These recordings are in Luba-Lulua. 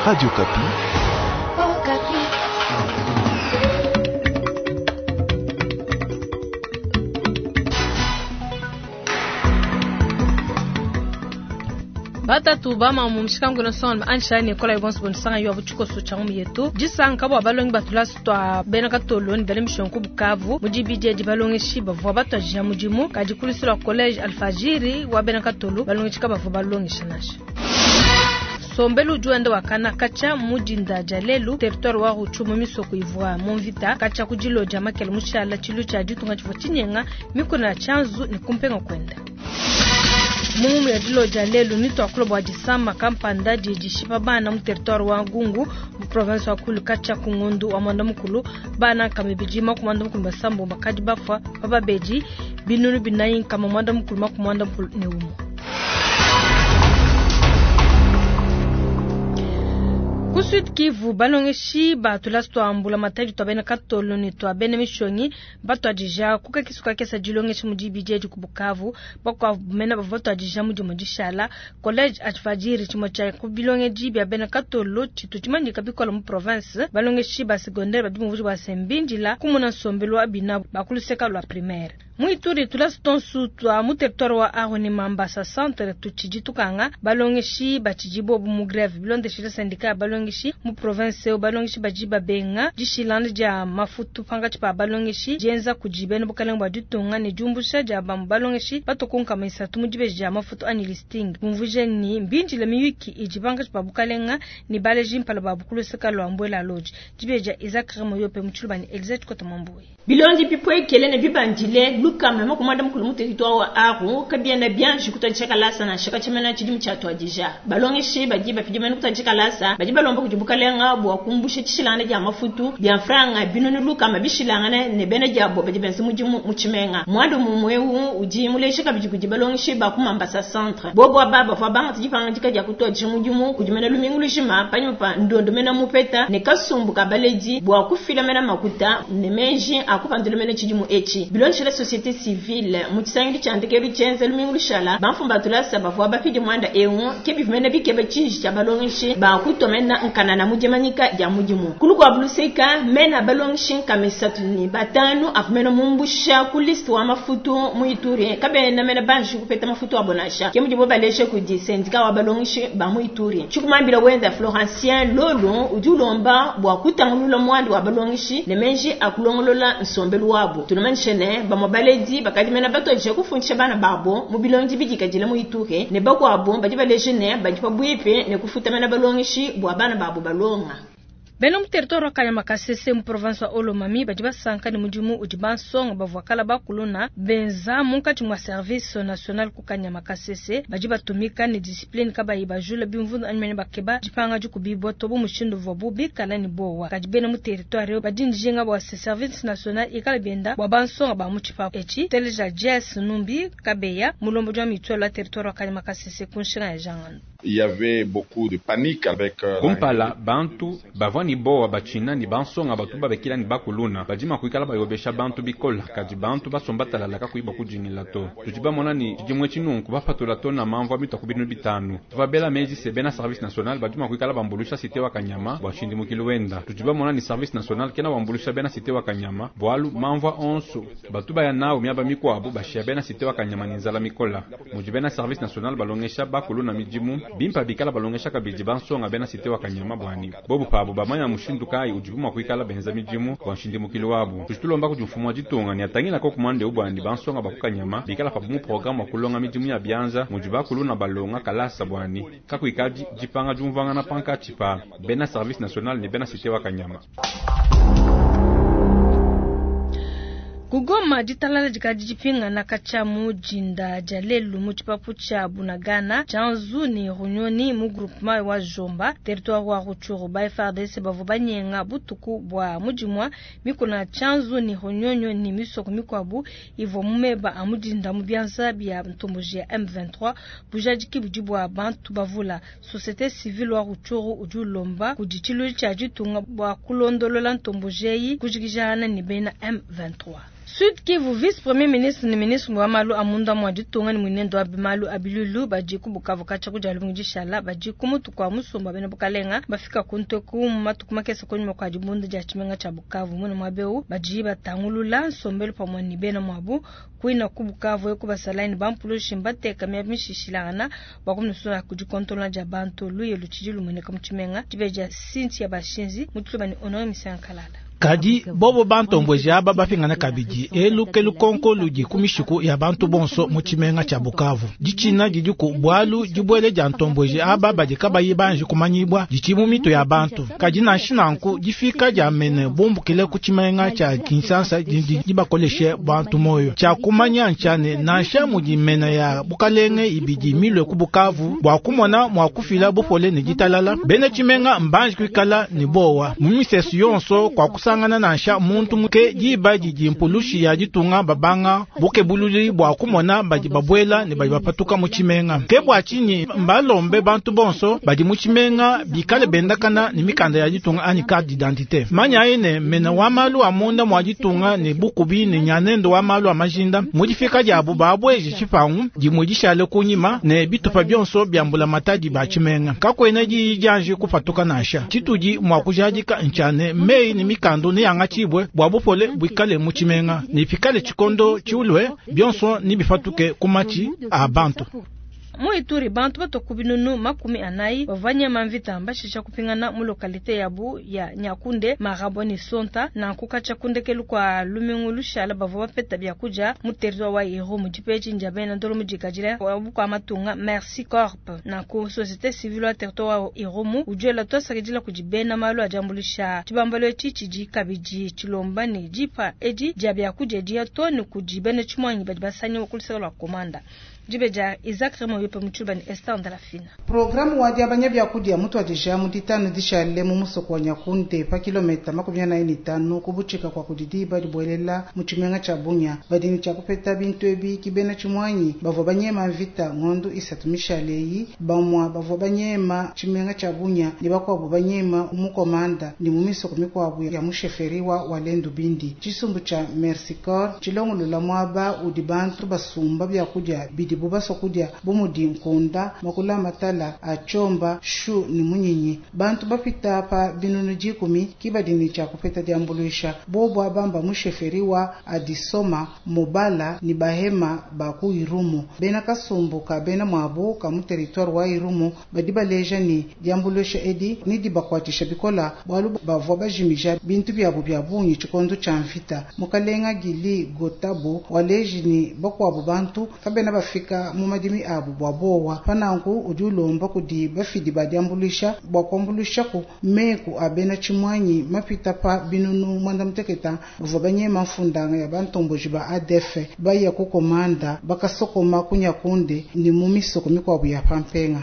Radio Okapi. Batatu bamamu mushikangu nsonga ansha ne kola ibonso bonsanga yo butshikoso tsha mu yetu disanka bua balongi batulasu tua bena katolo ne bena mishonku bukavu mu dibidi edi balongeshi bavua batuadija mudimu kadi ku lua college alfajiri wa bena katolo balongeshi kabavua balongesha nansha. Nsombelu udi wenda wakana katshia mu dinda dia lelu territoire wa Rutshuru mu misoko ivua mu mvita katshia ku dilo dia makele mushala tshilu tshia ditunga tshivua tshinyenga mikuna ya tshianzu ne kumpenga kuenda. Mu ngumu ya dilo dia lelu nituakula bua disama kampanda didi dishipa bana mu territoire wa Gungu mu province wa Kwilu katshia ku ngondu wa mwanda mukulu bana nkama ibidi makumi mwanda mukulu basambo bakadi bafua pa babedi binunu binayi nkama mwanda mukulu makumi mwanda mukulu ne umue. Ku Sud Kivu balongeshi ba tulasa tua mbulamatadi tua bena katolo ne tua bena mishonyi batuadija ku kakese kakese dilongesha mu dibidi edi ku Bukavu. Bakuabu mena bavua batuadija mu dimue dishala. College Alfajiri tshimue tshia ku bilongedi bia bena katolo tshitu tshimanyika bikole mu province. Balongeshi ba secondaire badi bumvuija bua se mbindila kumona nsombelu wa binabu ba ku luseka lua primaire. Mu Ituri tulasa tonsu tua mu territoire wa Aru ne Mambasa centre tutshidi tukanga balongeshi batshidi bobu mu greve bilondeshile syndicat ya balongeshi mu province eu. Balongeshi badi babenga dishilana dia mafutu pankatshi pa balongeshi dienza kudi bena bukalenge bua ditunga ne diumbusha dia bamue balongeshi batue ku nkama isatu mu dibeji dia mafutu anyi listing. Bumvuije ne mbindile miyuki idi pankatshi pa bukalenga ne baleji mpala babu ku luseka lua Mbuela Lodge. Dibeji dia Isaac Remoyope mu Tshiluba ne Elisa Tshikota Mwambuyi. Bilondi bipuekele ne bibandile lukama makumi muanda mukulu mu territoire wa Aru kabiena bianji kutuadija kalasa nansha katshia tshidimu tshiatuadija. Balongeshi badi bapidimene kutuadija kalasa badi balomba kudi bukalenga bua kumbusha tshishilangana dia mafutu bia mfranga binunu lukama bishilangane ne bena diabo badi benza mudimu mu tshimenga. Muanda mumue eu udi muleja kabidi kudi balongeshi ba ku Mambasa centre. Bobo aba bavua bangata dipangadika dia kutuadija mudimu kudi mena lumingu lujima panyima pa ndondo mena mupeta ne kasumbu ka baledi bua kufila mena makuta ne meji a kupandula mena tshidimu etshi. Bilondeshile société civile mu tshisangilu tshia ndekelu tshienza lumingu lushala bamfumu ba tulasa bavua bapidi muanda eu ke bivua mena bikeba tshiji tshia balongeshi ba kutua mena nkanana mu dimanyika dia mudimu. Ku lukuabu luseka mena balongeshi nkama isatu ne batanu avua mena mumbusha ku liste wa mafutu mu Ituri kabena mena banji kupeta mafutu abo nansha. Ke mudibo baleje kudi syndicat wa balongeshi ba mu Ituri. Tshikumambila wenda Florencien Lolo udi ulomba bua kutangulula muanda wa balongeshi ne meji a kulongolola nsombelu wabo. Tunamanyishe ne bamue baledi bakadi mena batuadija kufundisha bana babo mu bilondi bidikadile mu Ituri ne bakuabo badi baleje ne badi pabuipi ne kufuta mena balongeshi bua bana babo balonga. Bena mu territoire wa Kanyama Kasese mu province wa Haut-Lomami badi basanka ne mudimu udi bansonga bavua kala bakuluna benza munkatshi mua service national ku Kanyama Kasese. Badi batumika ne discipline kabayi bajula bimvundu anyi mene bakeba dipanga dikubibua to bu mushindu uvuabu bikala ne bowa. Kadi bena mu territoire badi njinga bua se service national ikala bienda bua bansonga ba mu tshipapu etshi. Teleja Jess Numbi Kabeya mulombodi wa mutuelle wa territoire wa Kanyama Kasese ku nshinga ya Jangano. Il y avait beaucoup de panique avec kumpala bantu bavua ni bowa batshina ni bansonga batu babekila ni bakuluna badi kuikala bayobesha bantu bikola kadi bantu basomba talalaka kuiba kujingila to tudi bamona ni tshidimue tshinunku bapatula to na mamvu amita ku binu bitanu tuva bela meji se bena service national badi mua kuikala bambulusha cité wa Kanyama bua nshindimukilo wenda tudi bamona ni service national kena wambulusha bena cité wa Kanyama bualu mamvua onso batu baya nawo miaba mikuabu bashia bena cité wa Kanyama ni nzala mikola mudi bena service national balongesha bakuluna midimu bimpa bikala balongesha kabidi bansonga bena cité wa Kanyama bwani bobu pabu bamanya mushindu kayi udibu mua kuikala benza midimu bua nshindimukilo wabu tudi tulomba kudi mfumu wa ditunga ni atangila ko kumande ubwandi bansonga ba ku Kanyama bikala pabu mu programme wa kulonga midimu ya bianza mudi bakuluna balonga kalasa bwani kakuikadi dipanga diumvuangana pankatshi pa bena service national ne bena cité wa Kanyama. Kugoma ditalala dikadi dipingana katshia mu dinda dia lelu mu tshipapu tshia Bunagana Tshianzu ne Runyoni mu groupement wa Jomba territoire wa Rutshuru. Ba FARDC bavua banyenga butuku bua mudimua mikuna Tshianzu ne Runyonyo ne misoko mikuabu ivua mu meba a mudinda mu bianza bia ntomboji ya M23 bujadiki budi bua bantu bavula. Société civile wa Rutshuru udi ulomba kudi tshiluilu tshia ditunga bua kulondolola ntomboji eyi kujikijana ne bena M23. Sud Kivu, vice premier ministre ne ministre wa malu a munda mua ditunga ne muinende wa malu a bilulu badi ku Bukavu katshia ku dia lumingu dishala badi ku mutu kua musumba bena bukalenga bafika ku nteku mu matuku makese kunyima kua dibunda dia tshimenga tshia Bukavu. Muine muaba eu badi batangulula nsombelu pamue ne bena muabu kuina ku Bukavu eku basalayi ne bampulushi mbateka miaba mishishilangana bua kumusula ku dikontola dia bantu. Luye lutshidi lumueneka mu tshimenga dibeja Cynthia Bashinzi mu Tshiluba ne Honore Misankalala. Kadi bobo bantombweji aba bapingana kabidi elu ke lukonko ludi ku mishiku ya bantu bonso mu tshimenga tshia Bukavu. Ditshina didi ku bualu dibuele dia ntombweji aba badi kabayi banji kumanyibwa ditshi mu mito ya bantu. Kadi nansha nanku difika dia mene bumbukile ku tshimenga tshia Kinshasa didi dibakoleshe bantu moyo. Tshia kumanya ntshia ne nansha mudi mena ya bukalenge ibidi milwe ku Bukavu bua kumona mua kufila bupole ne ditalala, bena tshimenga mbanji kuikala ne bowa mu misesu yonso kwa kusangana nansha muntu muke diba didi mpulushi ya ditunga babanga bukebululi bua kumona badi babuela ne badi bapatuka mu tshimenga. Ke bua tshinyi mbalombe bantu bonso badi mu tshimenga bikale bendakana ne mikanda ya ditunga anyi carte d'identité. Manyayi ne mena wa malu a munda mua ditunga ne bukubi ne nyanendo wa malu a majinda mu difika diabu babweje tshipangu dimue dishale kunyima ne bitupa bionso bia mbulamatadi ba tshimenga. Kakuena diyi dianji kupatuka nansha. Tshitudi mua kujadika ntshia ne meyi ne mikanda neyangatshibwe bua bupole buikale mu tshimenga ne pikale tshikondo tshiulwe bionso nibipatuke ku matshi a bantu. Mu Ituri bantu bato ku binunu 40 bavua nyema mvita mbashisha kupingana mu lokalite yabu ya Nyakunde, Marabo ne Sonta na nkukacha kundekelu kwa lumingu lushala bavua bapeta byakudia mu territoire wa Irumu dipeji ndia bena ndolo mudikadile wa bukua matunga Mercy Corp na ku société civile wa territoire wa Irumu ujuela twasakidila kudi bena malu adiambulisha tshibambalo etshi tshidi kabidi tshilomba ne dipa edi dia byakudia dia to ne kudi bena tshimwanyi badi basanya kuluseka lwa komanda. Dibeja Isaac Remo yope mu Tshiluba ne Esther Ndalafina. Programu wa diabanya byakudia mutu adija mu ditanu dishale mu musoko wa Nyakunde pa kilometa 45 ku butshika kwa kudi diba dibuelela mu tshimenga tshia Bunia. Badi ne tshia kupeta bintu ebi ki bena tshimwanyi bavua banyema mvita ngondo isatu mishale eyi, bamua bavua banyema tshimenga tshia Bunia ne bakuabu banyema mu komanda ne mu misoko mikuabu ya mu sheferi wa Walendu Bindi. Tshisumbu tshia Mercy Corps tshilongolola muaba udi bantu basumba byakudia bidi baswa kudia bu mudi nkunda, makula matala a tshomba, shu ne munyinyi. Bantu bapita pa binunu 10 ki badi ne tshia kupeta diambuluisha. Bobo abamba mu sheferi wa Adisoma, Mobala ne Bahema ba ku Irumu. Bena kasumbu ka bena muabu ka mu territoire wa Irumu badi baleja ne diambuluisha edi ne dibakuatshisha bikola bualu bavua bajimija bintu biabu bia bungi tshikondo tshia mvita. Mukalenga Gili Gotabo waleji ne bakuabu bantu kabena bafika mu madimi abu bua bowa. Pananku udi ulomba kudi bafidi ba diambuluisha bua kuambuluisha ku meku a bena tshimwanyi mapita pa binunu 96 bavua banyema mfundanga ya bantomboji ba ADF baya ku komanda bakasokoma ku Nyakunde ne mu misoko mikuabu ya Pampenga.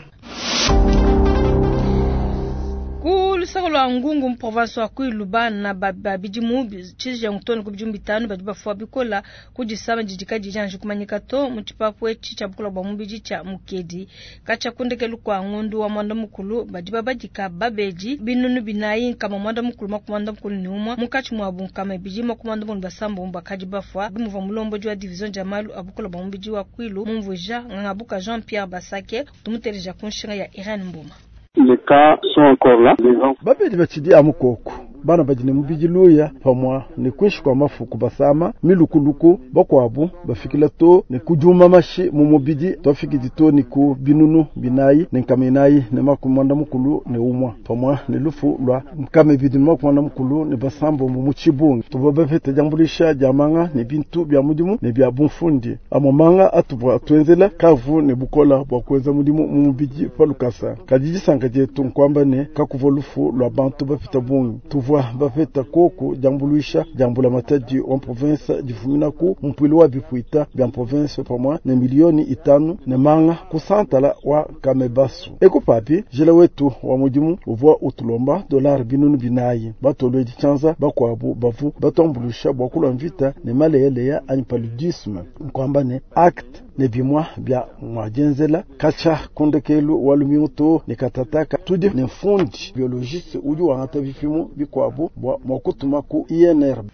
Ku lusaka lwa Ngungu mu province wa Kwilu bana ba bidimu tshijengu to ne ku bidimu 5 badi bafua bikola ku disama didi kadiyi dianji kumanyika to mu tshipapu etshi tshia bukola bua mubidi tshia Mukedi. Katshia kundekelu kua ngondu wa mwanda mukulu badi babadika babedi 4991 munkatshi muabu 296 bakadi bafua. Bimuvua mulombodi wa division dia malu a bukola bua mubidi wa Kwilu mumvuija Ngangabuka Jean Pierre Basake tumuteleja ku nshinga ya Irene Mbuma. Les cas sont encore là. Les gens babedi batshidi amu koko bana badi ne mubidi luya pamua ne kuinshi kua mafuku basama milukuluku bakuabu bafikila to ne kujuma mashi mu mubidi twafikidi to ne ku binunu 4 ne nkama 4 ne 91 pamua ne lufu lua nkama 2 ne 96 mu tshibungi. Tuvua bapete diambuluisha dia manga ne bintu bia mudimu ne bia bumfundi. Amua manga atuvua tuenzela kavu ne bukola bua kuenza mudimu mu mubidi pa lukasa. Kadi disanka dietu nkuamba ne kakuvua lufu lua bantu bapita bungi. Tuvua bapeta koku diambuluisha dia mbulamatadi wa province difumina ku mpuilu wa bipuita bia province pamua ne milioni 5 ne manga ku santala wa Kamebasu. Eku papi jela wetu wa mudimu uvua utulomba dolari 4,000 batolwedi tshianza bakuabu bavu batuambuluisha bua kulwa mvita ne maleyaleya anyi paludisme nkuamba ne acte ne bimwa bia mwadienzela katshia kundekelu wa lumingu to ne katataka tudi ne mfundi biologiste udi wangata bipimo bikuabu bua mua kutuma ku INRB.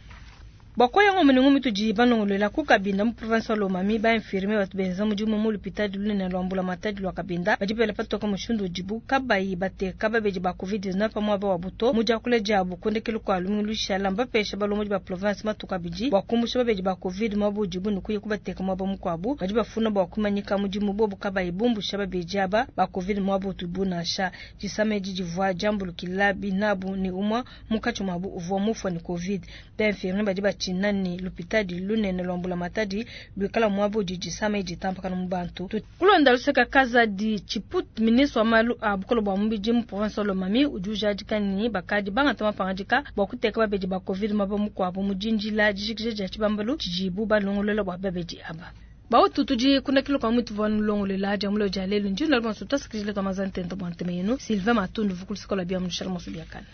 Bua koya ngombe ne ngumi tudi balongolola ku Kabinda mu province wa Lomami, ba infirmier batu benza mudimu mu lupitadi lunene lua mbulamatadi lua Kabinda badi bela patoka mushindu udibu kabayi bateka babedi ba Covid-19 pa muaba wabu to. Mu diakula diabu ku ndekelu kua lumingu lushala, mbapesha balombodi ba province matuku abidi bua kumbusha babedi ba Covid muaba udibu ne kuya kubateka muaba mukuabu. Badi bafuna bua kuimanyika mudimu bobu kabayi bumbusha babedi aba ba Covid muaba utubu nansha. Disama edi divua diambulukila binabu ne umua munkatshi muabu uvua mufua ne Covid. Ba infirmier badi batshina ne lupitadi lunene lua mbulamatadi luikala muaba udi disama edi ditampakana mu bantu. Kulonda luseka Kazadi Chiput, ministre wa malu a bukole bua mubidi mu province wa Lomami, udi ujadika ne bakadi bangata mapangadika bua kuteka babedi ba Covid muaba mukuabu mu dindila dijikija dia tshibambalu tshidibu balongolola bua babedi aba. Bautu tudi kuna kilo kwa mwitu vwa nulongolela dia mulo dia lelu ndi nalwa bonso twasakidila twa mazantento bwa nteme yenu Sylvain Matundu vukulu sikola bia mushala moso biakana.